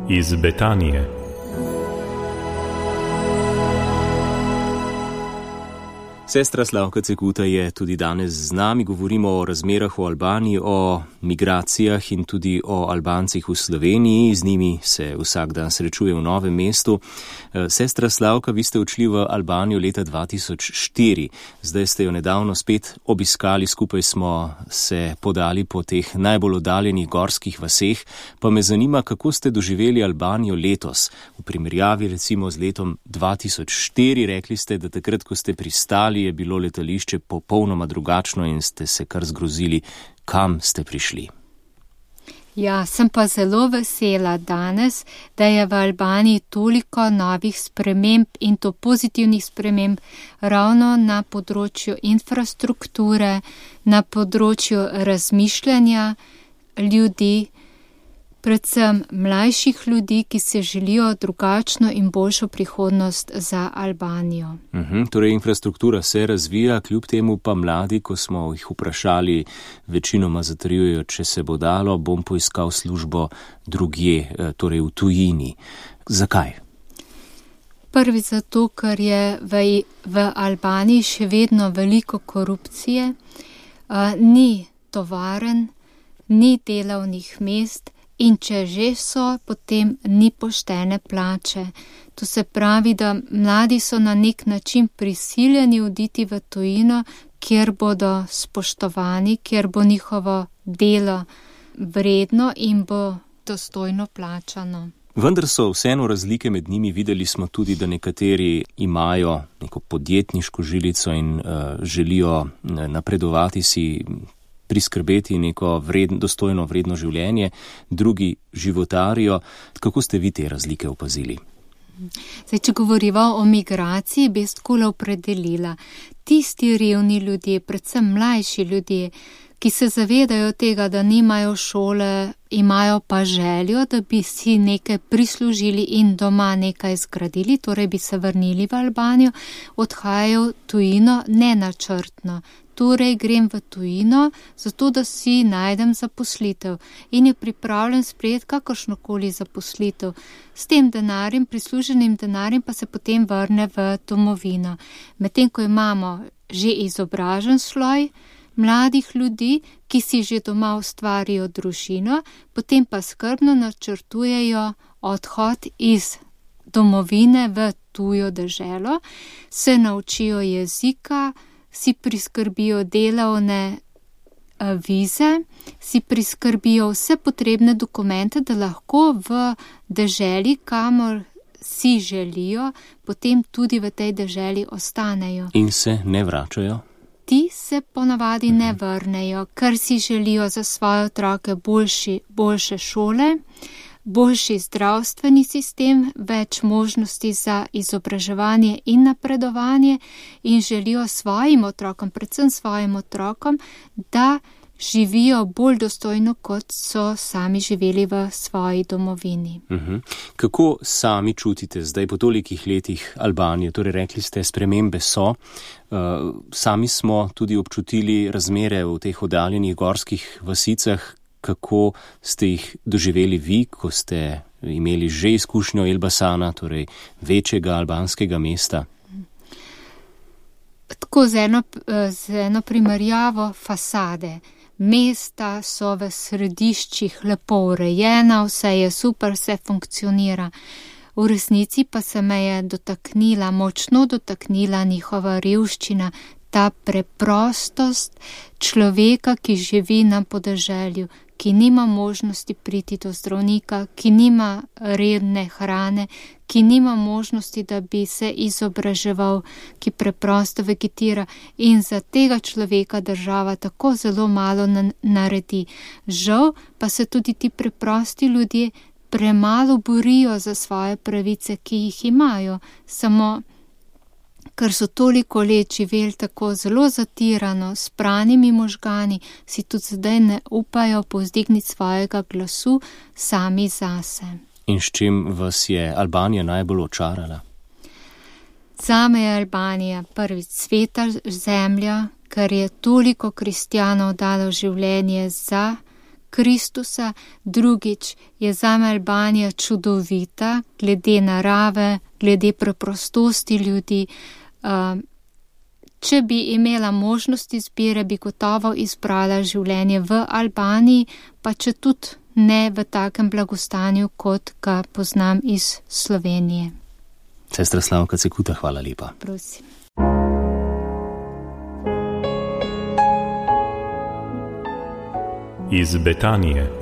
iz Betanije. Sestra Slavka Cekuta je tudi danes z nami. Govorimo o razmerah v Albaniji, o migracijah in tudi o Albancih v Sloveniji. Z njimi se vsak dan srečuje v Novem mestu. Sestra Slavka, vi ste odšli v Albanijo leta 2004. Zdaj ste jo nedavno spet obiskali, skupaj smo se podali po teh najbolj oddaljenih gorskih vaseh. Pa me zanima, kako ste doživeli Albanijo letos, v primerjavi recimo z letom 2004. Rekli ste, da takrat, ko ste pristali, je bilo letališče popolnoma drugačno in ste se kar zgrozili, kam ste prišli. Ja, sem pa zelo vesela danes, da je v Albaniji toliko novih sprememb in to pozitivnih sprememb ravno na področju infrastrukture, na področju razmišljanja ljudi, predvsem mlajših ljudi, ki se želijo drugačno in boljšo prihodnost za Albanijo. Torej infrastruktura se razvija, kljub temu pa mladi, ko smo jih vprašali, večinoma zatrjujejo, če se bo dalo, bom poiskal službo drugje, torej v tujini. Zakaj? Prvi zato, ker je v Albaniji še vedno veliko korupcije, ni tovaren, ni delovnih mest, in če že so, potem ni poštene plače. To se pravi, da mladi so na nek način prisiljeni oditi v tujino, kjer bodo spoštovani, kjer bo njihovo delo vredno in bo dostojno plačano. Vendar so vseeno razlike med njimi. Videli smo tudi, da nekateri imajo neko podjetniško žilico in želijo napredovati, si priskrbeti neko dostojno vredno življenje, drugi životarijo. Kako ste vi te razlike opazili? Zdaj, če govoriva o migraciji, bi skole opredelila. Tisti revni ljudje, predvsem mlajši ljudje, ki se zavedajo tega, da nimajo šole, imajo pa željo, da bi si nekaj prislužili in doma nekaj zgradili, torej bi se vrnili v Albanijo, odhajajo tujino nenačrtno. Torej grem v tujino, zato da si najdem zaposlitev in je pripravljen sprejeti kakršnokoli zaposlitev. S tem denarjem, prisluženim denarjem pa se potem vrne v domovino. Medtem ko imamo že izobražen sloj mladih ljudi, ki si že doma ustvarijo družino, potem pa skrbno načrtujejo odhod iz domovine v tujo deželo, se naučijo jezika, si priskrbijo delovne vize, si priskrbijo vse potrebne dokumente, da lahko v deželi, kamor si želijo, potem tudi v tej deželi ostanejo. In se ne vračajo? Ti se ponavadi ne vrnejo, ker si želijo za svoje otroke boljše šole, boljši zdravstveni sistem, več možnosti za izobraževanje in napredovanje in želijo svojim otrokom, predvsem svojim otrokom, da živijo bolj dostojno, kot so sami živeli v svoji domovini. Kako sami čutite zdaj po tolikih letih Albanije? Torej rekli ste, spremembe so. Sami smo tudi občutili razmere v teh oddaljenih gorskih vasicah. Kako ste jih doživeli vi, ko ste imeli že izkušnjo Elbasana, torej večjega albanskega mesta? Tako z eno primerjavo fasade. Mesta so v središčih lepo urejena, vse je super, vse funkcionira. V resnici pa se me je močno dotaknila njihova revščina, ta preprostost človeka, ki živi na podeželju, ki nima možnosti priti do zdravnika, ki nima redne hrane, ki nima možnosti, da bi se izobraževal, ki preprosto vegetira in za tega človeka država tako zelo malo naredi. Žal pa se tudi ti preprosti ljudje premalo borijo za svoje pravice, ki jih imajo, samo ker so toliko let živeli tako zelo zatirano, s pranimi možgani, si tudi zdaj ne upajo povzdigniti svojega glasu sami zase. In s čim vas je Albanija najbolj očarala? Zame je Albanija prvič sveta zemlja, ker je toliko kristjanov dalo življenje za Kristusa, drugič je zame Albanija čudovita, glede narave, glede preprostosti ljudi. Če bi imela možnost izbire, bi gotovo izbrala življenje v Albaniji, pa če tudi ne v takem blagostanju, kot ga poznam iz Slovenije. Sestra Slavka Cekuta, hvala lepa. Prosim. Iz Betanije.